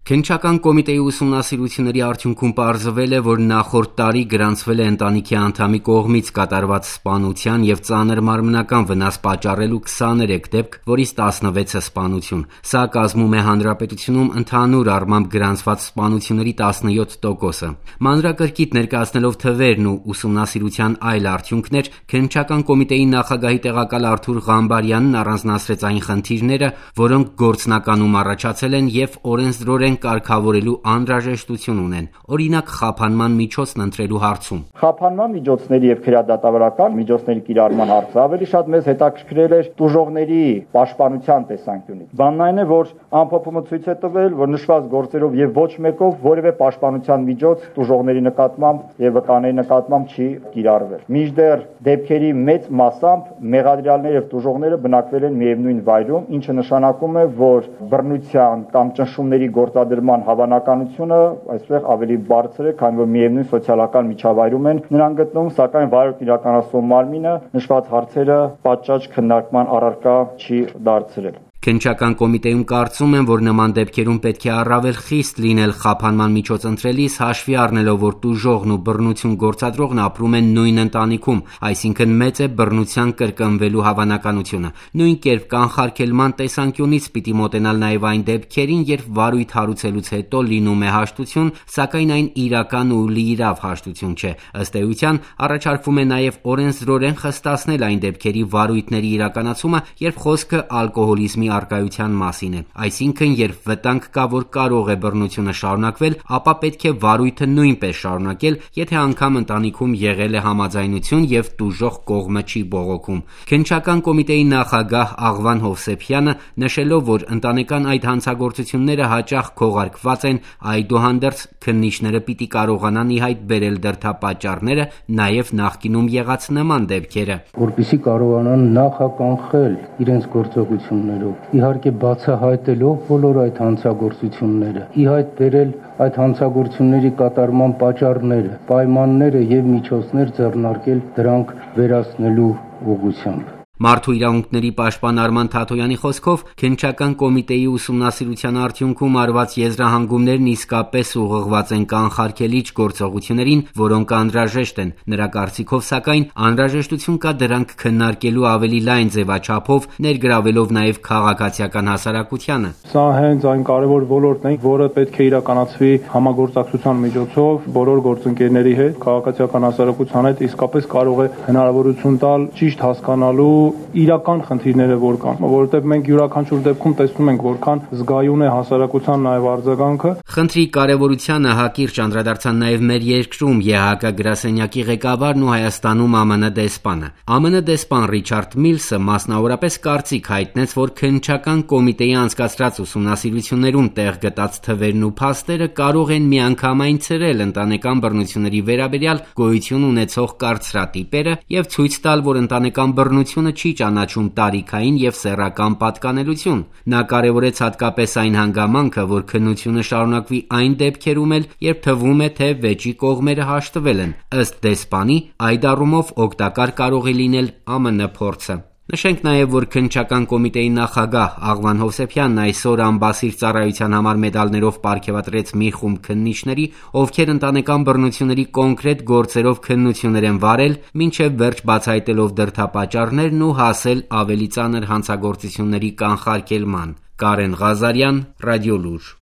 Քննչական կոմիտեի ուսումնասիրությունների արդյունքում պարզվել է, որ նախորդ տարի գրանցվել է ընտանիքի անդամի կողմից կատարված սպանության և ծանր մարմնական վնաս պատճառելու 23 դեպք, որից 16-ը սպանություն։ Սա կազմում է հանրապետությունում ընդհանուր առմամբ գրանցված սպանությունների 17%-ը։ Մանրակրկիտ ներկայացնելով թվերն ու ուսումնասիրության այլ արդյունքներ, քննչական կոմիտեի նախագահի տեղակալ Արթուր Ղամբարյանն առանձնացրեց այն խնդիրները, որոնք գործնականում առաջացել են և օրենսդրորեն կարգավորելու անհրաժեշտություն ունեն, օրինակ խափանման միջոցն ընտրելու հարցում։ Խափանման միջոցների և քրեադատավորական միջոցների կիրառման հարցը ավելի շատ մեզ հետաքրքրել էր տուժողների պաշտպանության տեսանկյունից։ Բանն այն է, որ ամփոփումը ցույց է տվել, որ նշված գործերով և ոչ մեկով որևէ պաշտպանության միջոց տուժողների նկատմամբ և վկաների նկատմամբ չի կիրառվել։ Մինչդեռ դեպքերի մեծ մասամբ մեղադրյալները և տուժողները բնակվել են միևնույն վայրում, ինչը նշանակում է, որ բռնության կամ ճնշումների գործադրման հավանականությունը այսպես ավելի բարձր է, քանի որ միևնույն սոցիալական միջավայրում են նրանք գտնվում, սակայն վարույթ իրականացնող մարմինը նշված հարցերը պատշաճ քննարկման առարկա չի դարձրել։ Քննչական կոմիտեում կարծում են, որ նման դեպքերում պետք է առավել խիստ լինել խափանման միջոց ընտրելիս, հաշվի առնելով, որ տուժողն ու բռնություն գործադրողն ապրում են նույն ընտանիքում, այսինքն մեծ է բռնության կրկնվելու հավանականությունը։ Նույն կերպ կանխարգելման տեսանկյունից պիտի մոտենալ նաև այն դեպքերին, երբ վարույթ հարուցելուց հետո լինում է հաշտություն, սակայն այն իրական ու լիիրավ հաշտություն չէ։ Ըստ էության, առաջարկվում է նաև օրենսդրորեն խստացնել այն դեպքերի վարույթների իրականացումը, երբ խոսքը ալկոհոլիզմի առկայության մասին է։ Այսինքն, երբ վտանգ կա, որ կարող է բռնությունը շարունակվել, ապա պետք է վարույթը նույնպես շարունակել, եթե անգամ ընտանիքում եղել է համաձայնություն և տուժող կողմը չի բողոքում։ Քննչական կոմիտեի նախագահ Աղվան Հովսեփյանը նշելով, որ ընտանեկան այդ հանցագործությունները հաճախ քողարկված են, այդուհանդերձ քննիչները պիտի կարողանան ի հայտ բերել դրդապատճառները, նաև նախկինում եղած նման դեպքերը, որպեսզի կարողանան նախականխել իրենց գործողություններով, իհարկե բացահայտելով բոլոր այդ հանցագործությունները, ի հայտ բերել այդ հանցագործությունների կատարման պատճառները, պայմանները և միջոցներ ձեռնարկել դրանք վերացնելու ուղղությամբ։ Մարդու իրավունքների պաշտպան Արման Թաթոյանի խոսքով, քննչական կոմիտեի ուսումնասիրության արդյունքում արված եզրահանգումներն իսկապես ուղղված են կանխարգելիչ գործողություններին, որոնք անհրաժեշտ են։ Նրա կարծիքով, սակայն, անհրաժեշտություն կա դրանք քննարկելու ավելի լայն ձևաչափով, ներգրավելով նաև քաղաքացիական հասարակությանը։ Սա հենց այն կարևոր ոլորտն է, որը պետք է իրականացվի համագործակցության միջոցով բոլոր գործընկերների հետ, քաղաքացիական հասարակության հետ, իսկապես կարող է հնարավորություն տալ ճիշտ հասկանալու իրական խնդիրները որ կան, որովհետև մենք յուրաքանչյուր դեպքում տեսնում ենք որքան զգայուն է հասարակության նաև արձագանքը։ Խնդրի կարևորությանը հակիրճ անդրադարձան նաև մեր երկրում ԵՀԿ գրասենյակի ղեկավարն ու Հայաստանում ԱՄՆ դեսպանը։ ԱՄՆ դեսպան Ռիչարդ Միլսը մասնավորապես կարծիք հայտնեց, որ քննչական կոմիտեի անցկացրած ուսումնասիրություններում տեղ գտած թվերն ու փաստերը կարող են միանգամայն ցրել ընտանեկան բռնությունների վերաբերյալ գոյություն ունեցող կարծրատիպերը և ցույց տալ, որ ընտանեկան բռնությունը չի ճանաչում տարիքային և սեռական պատկանելություն։ Նա կարևորեց հատկապես այն հանգամանքը, որ քննությունը շարունակվի այն դեպքերում էլ, երբ թվում է, թե վեճի կողմերը հաշտվել են։ Ըստ դեսպանի, այդ առումով օգտակար կարող է լինել ԱՄՆ փորձը։ Նշենք նաև, որ քննչական կոմիտեի նախագահ Աղվան Հովսեփյանն այսօր անբասիր ծառայության համար մեդալներով պարգևատրեց մի խումբ քննիչների, ովքեր ընտանեկան բռնությունների կոնկրետ գործերով քննություններ են վարել, մինչև վերջ բացահայտելով դրդապատճառներն ու հասել ավելի ծանր հանցագործությունների կանխարգելման։ Կարեն Ղազարյան, Ռադիոլուր։